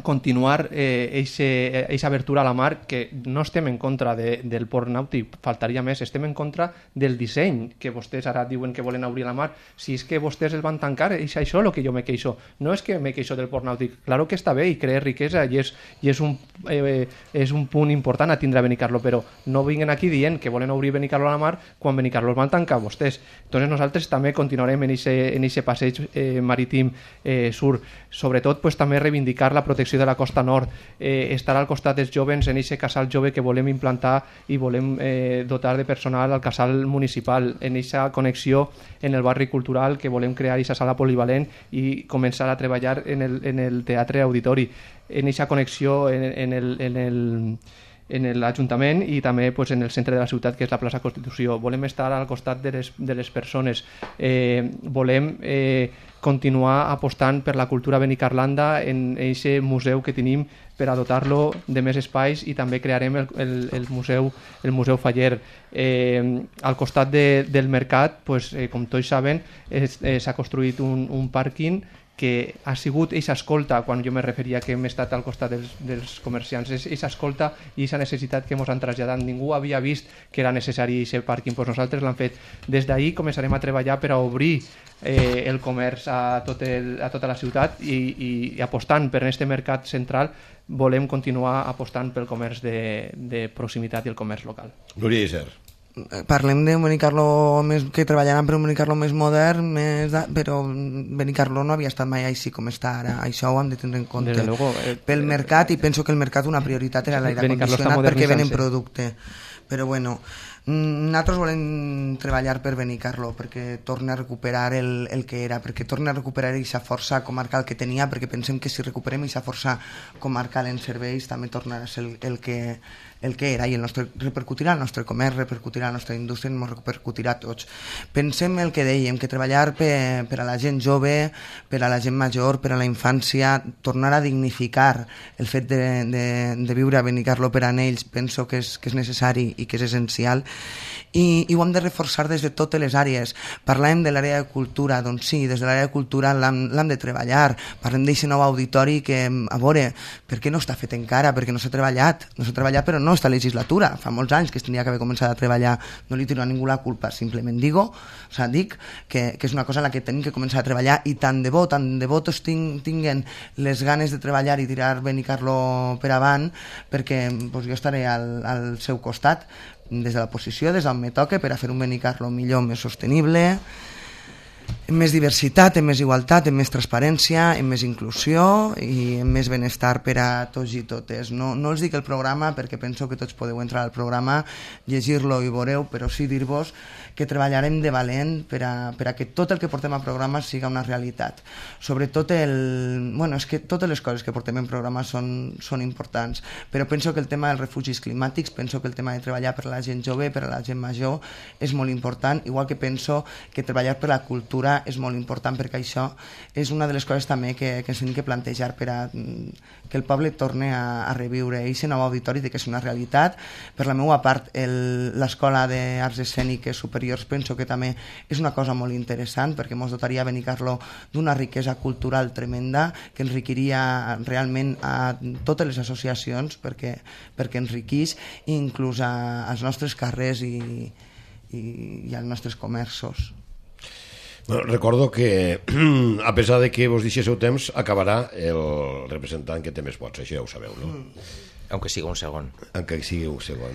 continuar aquesta abertura a la mar, que no estem en contra del port nàutic, faltaria més, estem en contra del disseny, que vostès ara diuen que volen obrir la mar. Si és que vostès el van tancar, és això el que jo me queixo. No és que me queixo del port nàutic, claro que està bé i crea riquesa i és un punt important a tindre a Benicarló, però no vinguin aquí dient que volen obrir Benicarló a la mar quan Benicarló el van tancar vostès. Entonces nosaltres també continuarem en aquest passeig marítim sur, sobretot també reivindicar la protecció de la costa nord, estar al costat dels jovens en aquest casal jove que volem implantar i volem dotar de personal al casal municipal, en aquesta connexió en el barri cultural que volem crear aquesta sala polivalent i començar a treballar en el teatre auditori, en aquesta connexió en l'Ajuntament i també en el centre de la ciutat, que és la plaça Constitució. Volem estar al costat de les persones, volem continuar apostant per la cultura benicarlanda en aquest museu que tenim per a dotar-lo de més espais, i també crearem el museu Faller. Al costat del mercat, com tots saben, s'ha construït un pàrquing que ha sigut aquesta escolta, quan jo me referia que hem estat al costat dels comerciants, és aquesta escolta i aquesta necessitat que ens han traslladat. Ningú havia vist que era necessari aquest pàrquing, nosaltres l'hem fet. Des d'ahir començarem a treballar per a obrir el comerç a tota la ciutat i apostant per aquest mercat central volem continuar apostant pel comerç de proximitat i el comerç local. Núria Isser. Parlem de Benicarló que treballaran per un Benicarló més modern, però Benicarló no havia estat mai així com està ara. Això ho hem de tenir en compte. Pel mercat, i penso que el mercat una prioritat era l'aire condicionat perquè venen producte. Però bueno, Nosaltres volem treballar per Benicarló, perquè torni a recuperar el que era, perquè torni a recuperar aquesta força comarcal que tenia, perquè pensem que si recuperem aquesta força comarcal en serveis també tornarà a ser el que era, i repercutirà al nostre comerç, repercutirà a la nostra indústria, ens repercutirà a tots. Pensem el que dèiem, que treballar per a la gent jove, per a la gent major, per a la infància, tornar a dignificar el fet de viure a Benicarló per a ells, penso que és necessari i que és essencial, i ho hem de reforçar des de totes les àrees. Parlàvem de l'àrea de cultura, doncs sí, des de l'àrea de cultura l'hem de treballar. Parlem d'aquest nou auditori que, a veure, per què no està fet encara? Perquè no s'ha treballat però no esta legislatura, fa molts anys que es tenia que haver començat a treballar. No li tiro a ningú la culpa, simplement dic que és una cosa en la que tenim que començar a treballar, i tant de bo tots tinguen les ganes de treballar i tirar Benicarló per avant, perquè jo estaré al seu costat des de la posició, des d'on me toca, per a fer un Benicarló millor, més sostenible, amb més diversitat, amb més igualtat, amb més transparència, amb més inclusió i amb més benestar per a tots i totes. No els dic el programa perquè penso que tots podeu entrar al programa, llegir-lo i veureu, però sí dir-vos que treballarem de valent per a que tot el que portem a programa siga una realitat. Sobretot és que totes les coses que portem en programa són importants, però penso que el tema dels refugis climàtics, penso que el tema de treballar per a la gent jove, per a la gent major, és molt important, igual que penso que treballar per la cultura és molt important, perquè això és una de les coses també que ens hem de plantejar per a que el poble torni a reviure aquest nou auditori, que és una realitat. Per la meva part, l'Escola d'Arts Escèniques Superiors penso que també és una cosa molt interessant, perquè ens dotaria a Benicarló d'una riquesa cultural tremenda que enriquiria realment a totes les associacions, perquè enriquís inclús als nostres carrers i als nostres comerços. Bueno, recordo que, a pesar de que vos deixéssiu temps, acabarà el representant que té més vots, això ja ho sabeu, no? Aunque sigui un segon.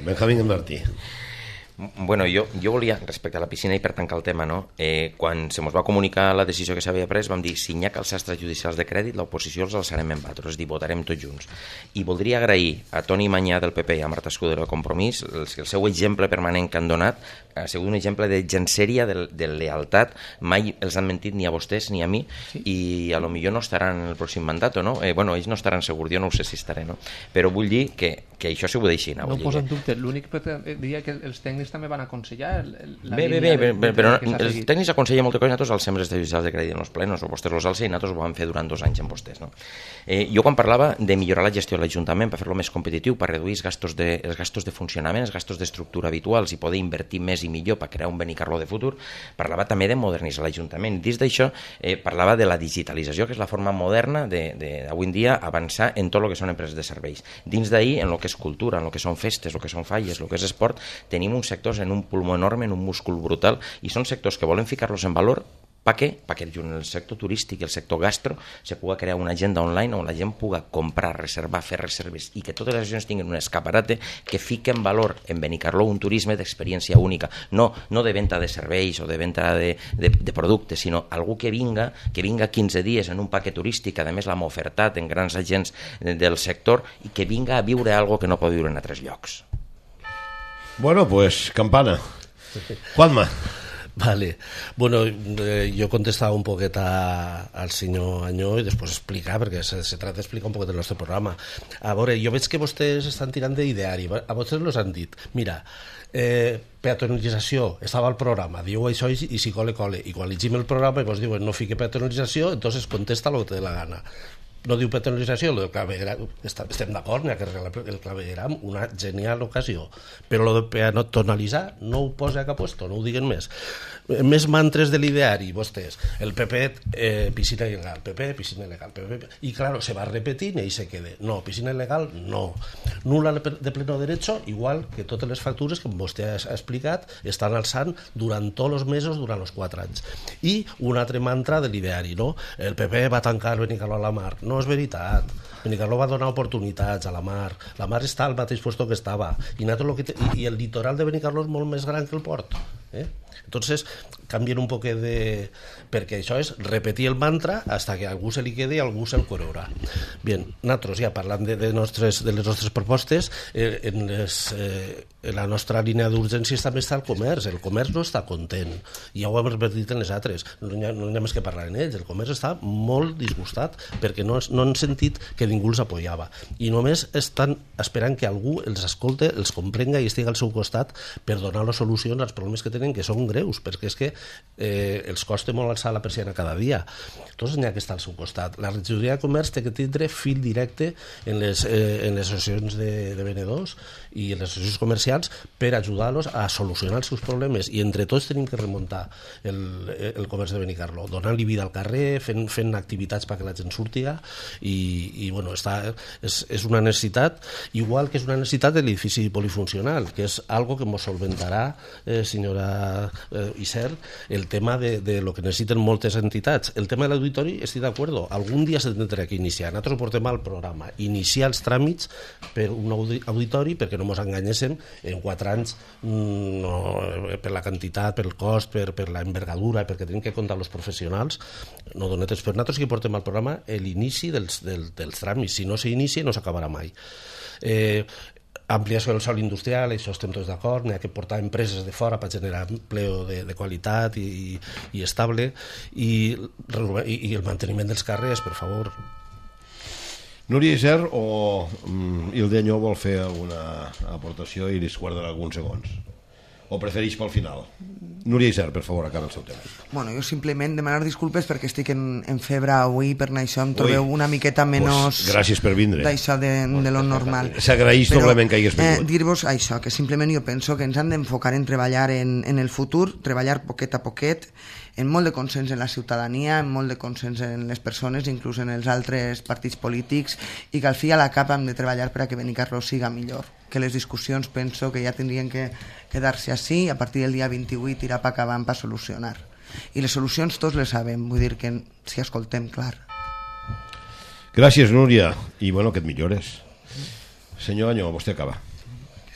Benjamín Martí. Bueno, jo volia, respecte a la piscina i per tancar el tema, no? Quan se mos va comunicar la decisió que s'havia pres, vam dir, si n'hi ha que els sastres judicials de crèdit, l'oposició els alçarem en batros, és a dir, votarem tots junts. I voldria agrair a Toni Manyà del PP i a Marta Escudero de Compromís el seu exemple permanent que han donat, ha sigut un exemple de gensèria, de lealtat, mai els han mentit ni a vostès ni a mi, i a lo millor no estaran en el pròxim mandat, no? Bueno, ells no estaran segur, jo no ho sé si estaré, no? Però vull dir que això s'ho ho deixin. No ho poso en dubte, l'únic que diria que els tècnics també van aconsellar però els tècnics aconsellen moltes coses. Nosaltres alcem els judicials de crèdit en els plenos, o vostès els alcen, i nosaltres ho vam fer durant 2 anys amb vostès, no? Jo quan parlava de millorar la gestió de l'Ajuntament per fer-lo més competitiu, per reduir els gastos de funcionament, els gastos d'estructura habituals i poder invertir més i millor per crear un Benicarló de futur, parlava també de modernitzar l'Ajuntament. Dins d'això parlava de la digitalització, que és la forma moderna d'avui en dia avançar en tot el que són empreses de serveis. Dins d'ahir, en el que és cultura, en el que són festes, el que són falles, el que és esport, tenim uns sectors en un pulmó enorme, en un múscul brutal, i són sectors que volen ficar-los en valor. Per què? Perquè en el sector turístic i el sector gastro se pugui crear una agenda online on la gent pugui comprar, reservar, fer reserves, i que totes les regions tinguin un escaparate que fiqui en valor en Benicarló un turisme d'experiència única, no de venda de serveis o de venda de productes, sinó algú que vinga 15 dies en un paquet turístic, a més l'hem ofertat en grans agents del sector, i que vinga a viure algo que no pot viure en altres llocs. Bueno, pues, campana. Juanma. Vale. Bueno, yo contestaba un poquito al señor Añó y después explicar, perquè se trata d'explicar un poquet el nostre programa. A veure, jo veig que vostès estan tirant d'ideari. A vostès els han dit, mira, peatonalització, estava al programa, diu això i si cole. I quan llegim el programa i vos diuen no fique peatonalització, entonces contesta el que té la gana. No diu peatonalització, el clavegueram, estem d'acord, n'hi ha que arreglar el clavegueram, una genial ocasió, però el de peatonalitzar no ho posa a cap puesto, no ho diguen més. Més mantres de l'ideari, vostès. El PP, piscina il·legal, PP, piscina il·legal, PP, i claro, se va repetint i se queda. No, piscina il·legal, no. Nula de pleno derecho, igual que totes les factures que vostè ha explicat, estan alçant durant tots els mesos, durant els 4 anys. I un altre mantra de l'ideari, no? El PP va tancar Benicarló a la mar. No, no és veritat. Benicarló va donar oportunitats a la mar està al mateix puesto que estava, i el litoral de Benicarló és molt més gran que el port, Entonces canvien un poc de... perquè això és repetir el mantra hasta que a algú se li quede i algú se'l creurà. Bien, nosaltres ja parlant de les nostres propostes, en la nostra línia d'urgències també està el comerç no està content, i ja ho hem repetit en les altres, no hi ha més que parlar en ells, el comerç està molt disgustat perquè no han sentit que ningú els apoyava, i només estan esperant que algú els escolte, els comprenga i estigui al seu costat per donar les solucions als problemes que tenen, que són greus, perquè és que els costa molt alçar la persiana cada dia. Tots n'hi ha que estar al seu costat. La regidoria de comerç té que tindre fil directe en les associacions de venedors i en les associacions comercials per ajudar-los a solucionar els seus problemes, i entre tots tenim que remuntar el comerç de Benicarló, donant-li vida al carrer, fent activitats perquè la gent surti, i bueno, és una necessitat, igual que és una necessitat de l'edifici polifuncional, que és algo que ens solventarà, senyora Isern, el tema de lo que necessiten moltes entitats. El tema de l'auditori, estic d'acord, algun dia se tindrà que iniciar. Nosaltres portem al programa iniciar els tràmits per un auditori, perquè no ens enganyéssim, en 4 anys, per la quantitat, pel cost, per la envergadura, perquè tenim que comptar els professionals, no donem temps. Per nosaltres que portem al programa l'inici dels tràmits. Si no s'inicia, no s'acabarà mai. Ampliació del sòl industrial, això estem tots d'acord, n'hi ha que portar empreses de fora per generar empleo de qualitat i estable, i el manteniment dels carrers, per favor. Núria Isern o Ildeño vol fer alguna aportació i li guardarà alguns segons? O prefereix pel final? Núria Isern, per favor, acaba el seu tema. Bueno, jo simplement demanar disculpes perquè estic en febre avui, per això em trobeu una miqueta menys... Gràcies per vindre. D'això de lo normal. S'agraeix doblement que hagués vingut. Dir-vos això, que simplement jo penso que ens han d'enfocar en treballar en el futur, treballar poquet a poquet, en molt de consens en la ciutadania, en molt de consens en les persones, inclús en els altres partits polítics, i que al fi a la cap hem de treballar per a que Benicarló siga millor. Que les discussions penso que ja tindrien que quedar-se així, a partir del dia 28 tirar pa acabant per solucionar. I les solucions tots les sabem, vull dir que si escoltem, clar. Gràcies, Núria, i bueno, que et millores. Senyor Añó, vostè acaba.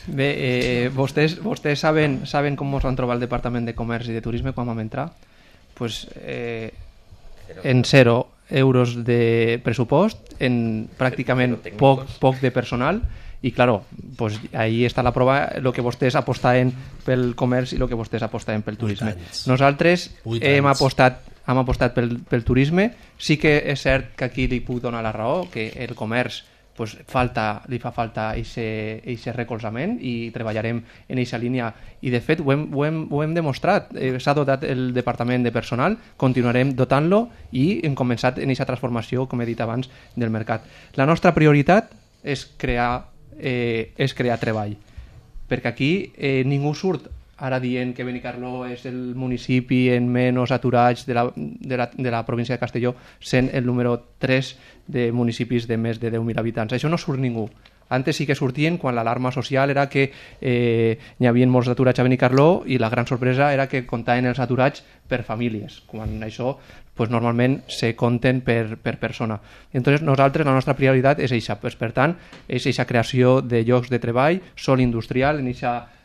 Bé, vostès saben com ens van trobar el Departament de Comerç i de Turisme quan vam entrar? Pues, en 0 euros de pressupost, en pràcticament poc de personal, i claro, pues ahí està la prova, el que vostès apostaven pel comerç i el que vostès apostaven pel turisme. Nosaltres hem apostat pel turisme. Sí que és cert que aquí li puc donar la raó, que el comerç pues, li fa falta aquest recolzament, i treballarem en aquesta línia, i de fet ho hem demostrat. S'ha dotat el departament de personal, continuarem dotant-lo, i hem començat en aquesta transformació, com he dit abans, del mercat. La nostra prioritat és crear treball, perquè aquí ningú surt ara dient que Benicarló és el municipi en menys aturats de la província de Castelló, sent el número 3 de municipis de més de 10.000 habitants. Això no surt ningú. Antes sí que sortien quan l'alarma social era que n'hi havia molts aturats a Benicarló, i la gran sorpresa era que comptaven els aturats per famílies, quan això pues, normalment se compten per persona. Entonces, nosaltres, la nostra prioritat és això. Pues, per tant, és aquesta creació de llocs de treball, sòl industrial, en aquesta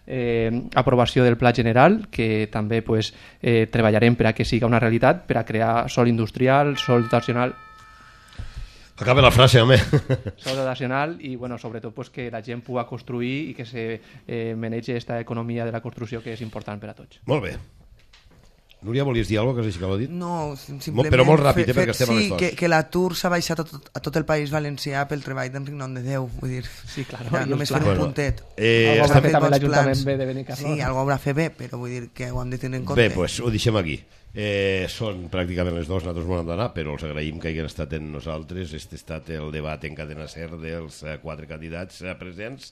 aprovació del Pla General, que també pues, treballarem per a que siga una realitat, per a crear sòl industrial, sòl dotacional. Acaba la frase, home. Sòl dotacional, i bueno, sobretot pues, que la gent pugui construir i que se manegi aquesta economia de la construcció, que és important per a tots. Molt bé. Núria, volies dir alguna cosa que l'ha dit? No, simplement... Però molt ràpid, perquè estem a les dos. Sí, que l'atur s'ha baixat a tot el País Valencià pel treball d'Enric Nom de Déu, vull dir... Sí, clar. Ja, només fer un puntet. Algo haurà fet també l'Ajuntament B de Benicarló. Sí, algo haurà fet bé, però vull dir que ho hem de tenir en compte. Bé, doncs ho deixem aquí. Són pràcticament les 2, nosaltres m'ho hem d'anar, però els agraïm que hagin estat en nosaltres. Este ha estat el debat en cadena SER dels 4 candidats presents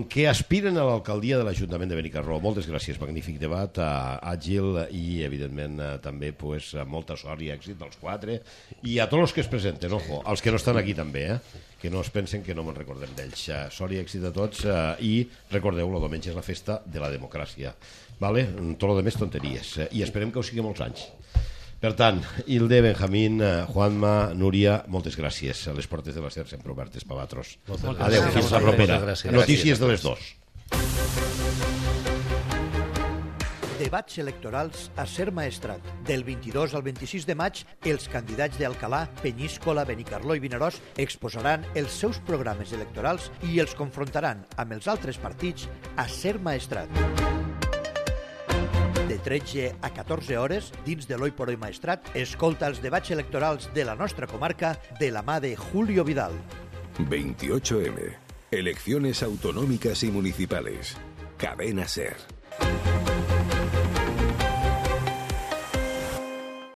que aspiren a l'alcaldia de l'Ajuntament de Benicarló. Moltes gràcies, magnífic debat, àgil, i evidentment també pues, molta sort i èxit dels 4 i a tots els que es presenten, ojo, els que no estan aquí també, que no es pensen que no me'n recordem d'ells. Sort i èxit a tots, i recordeu, el diumenge és la festa de la democràcia, vale? Tot el de més tonteries, i esperem que ho sigui molts anys. Per tant, Hilde, Benjamín, Juanma, Núria, moltes gràcies. A les portes de la SER sempre obertes per vosaltres. Adéu, fins la propera. Notícies de les 2. Debats electorals a Ser Maestrat. Del 22 al 26 de maig, els candidats d'Alcalà, Penyíscola, Benicarló i Vinaròs exposaran els seus programes electorals i els confrontaran amb els altres partits a Ser Maestrat. De 13 a 14 hores, dins de l'Oi por Hoy Maestrat, escolta els debats electorals de la nostra comarca de la mà de Julio Vidal. 28M. Elecciones autonómicas y municipales. Cadena SER.